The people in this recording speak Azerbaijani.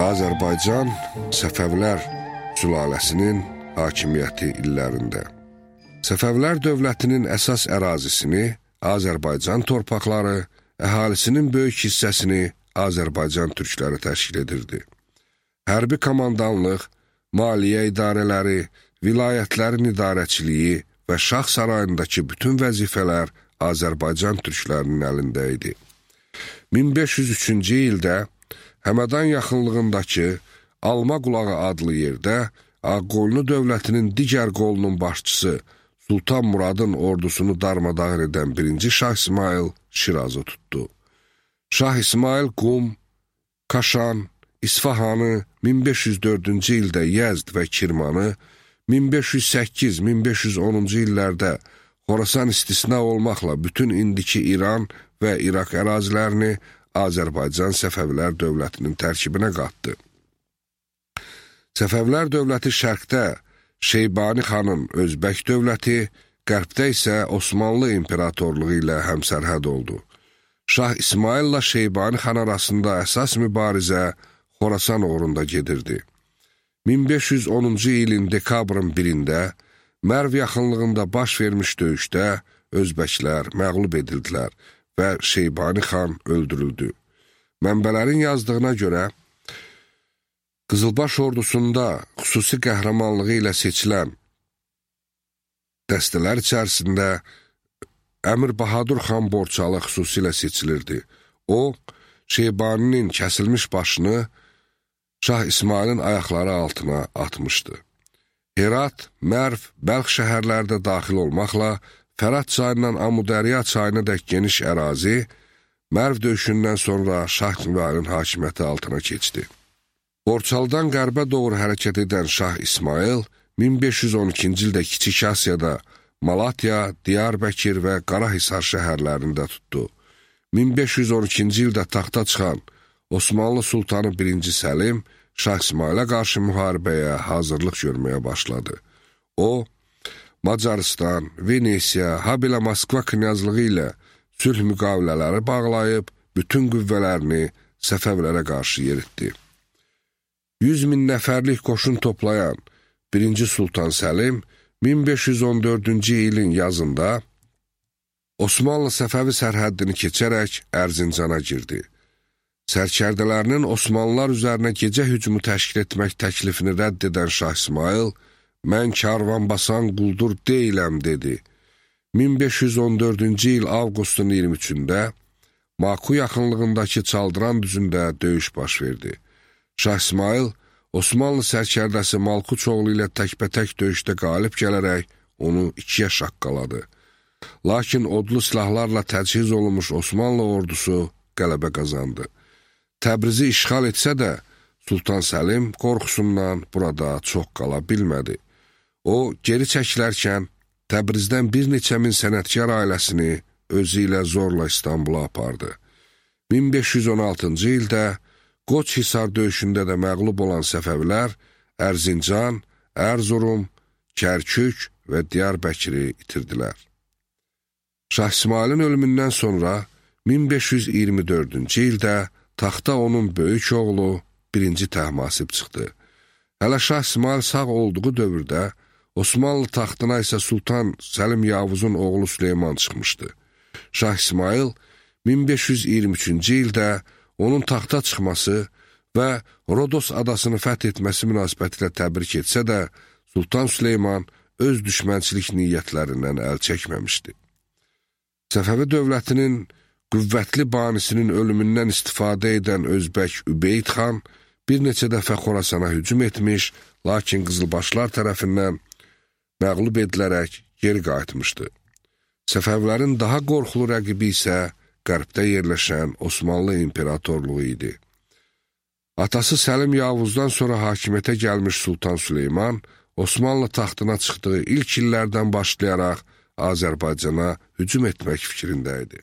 Azərbaycan Səfəvilər sülaləsinin hakimiyyəti illərində. Səfəvilər dövlətinin əsas ərazisini Azərbaycan torpaqları, əhalisinin böyük hissəsini Azərbaycan türkləri təşkil edirdi. Hərbi komandanlıq, maliyyə idarələri, vilayətlərin idarəçiliyi və şah sarayındakı bütün vəzifələr Azərbaycan türklərinin əlində idi. 1503-cü ildə Həmədan yaxınlığındakı Alma Qulağı adlı yerdə Ağqoyunlu dövlətinin digər qolunun başçısı Sultan Muradın ordusunu darmadağın edən 1-ci Şah İsmail Şirazı tutdu. Şah İsmail Qum, Kaşan, İsfahanı, 1504-cü ildə Yəzd və Kirmanı, 1508-1510-cu illərdə Xorasan istisna olmaqla bütün indiki İran və İraq ərazilərini Azərbaycan Səfəvilər dövlətinin tərkibinə qatdı. Səfəvilər dövləti şərqdə Şeybani xanın Özbək dövləti, qərbdə isə Osmanlı imperatorluğu ilə həmsərhəd oldu. Şah İsmaillə Şeybani xan arasında əsas mübarizə Xorasan uğrunda gedirdi. 1510-cu ilin dekabrın 1-də Mərv yaxınlığında baş vermiş döyüşdə Özbəklər məğlub edildilər və Şeybani xan öldürüldü. Mənbələrin yazdığına görə, Qızılbaş ordusunda xüsusi qəhrəmanlığı ilə seçilən dəstələr içərisində Əmir Bahadur xan Borçalı xüsusilə seçilirdi. O, Şeybaninin kəsilmiş başını Şah İsmailin ayaqları altına atmışdı. Herat, Mərv, Bəlx şəhərlərdə daxil olmaqla Fərat çayından Amudərya çayına dək geniş ərazi Mərv döyüşündən sonra Şah İsmailin hakimiyyəti altına keçdi. Borçalıdan qərbə doğru hərəkət edən Şah İsmail 1512-ci ildə Kiçik Asiyada Malatya, Diyarbəkir və Qarahisar şəhərlərində tutdu. 1512-ci ildə taxta çıxan Osmanlı Sultanı 1-ci Səlim Şah İsmailə qarşı müharibəyə hazırlıq görməyə başladı. O, Macaristan, Venesiya, habelə Moskva knyazlığı ilə sülh müqavilələri bağlayıb, bütün qüvvələrini Səfəvlərə qarşı yeritdi. 100 min nəfərlik qoşun toplayan 1-ci Sultan Səlim 1514-cü ilin yazında Osmanlı Səfəvi sərhəddini keçərək Ərzincana girdi. Sərkərdələrinin Osmanlılar üzərinə gecə hücumu təşkil etmək təklifini rədd edən Şah İsmail, mən karvan basan quldur deyiləm, dedi. 1514-cü il avqustun 23-də Maku yaxınlığındakı Çaldıran düzündə döyüş baş verdi. Şah İsmail, Osmanlı sərkərdəsi Malkuçoğlu ilə təkbətək döyüşdə qalib gələrək onu 2-yə şaqqaladı. Lakin odlu silahlarla təchiz olunmuş Osmanlı ordusu qələbə qazandı. Təbrizi işğal etsə də, Sultan Səlim qorxusundan burada çox qala bilmədi. O, geri çəkilərkən Təbrizdən bir neçə min sənətkar ailəsini özü ilə zorla İstanbula apardı. 1516-cı ildə Qoç-Hisar döyüşündə də məğlub olan Səfəvilər Ərzincan, Ərzurum, Kərkük və Diyarbəkiri itirdilər. Şah İsmailin ölümündən sonra 1524-cü ildə taxta onun böyük oğlu 1-ci Təhmasib çıxdı. Hələ Şah İsmail sağ olduğu dövrdə Osmanlı taxtına isə Sultan Səlim Yavuzun oğlu Süleyman çıxmışdı. Şah İsmail 1523-cü ildə onun taxta çıxması və Rodos adasını fəth etməsi münasibətilə təbrik etsə də, Sultan Süleyman öz düşmənçilik niyyətlərindən əl çəkməmişdi. Səfəvi dövlətinin qüvvətli banisinin ölümündən istifadə edən Özbək Übeyd xan bir neçə dəfə Xorasana hücum etmiş, lakin Qızılbaşlar tərəfindən məğlub edilərək geri qayıtmışdı. Səfəvlərin daha qorxulu rəqibi isə qərbdə yerləşən Osmanlı imperatorluğu idi. Atası Səlim Yavuzdan sonra hakimiyyətə gəlmiş Sultan Süleyman, Osmanlı taxtına çıxdığı ilk illərdən başlayaraq Azərbaycana hücum etmək fikrində idi.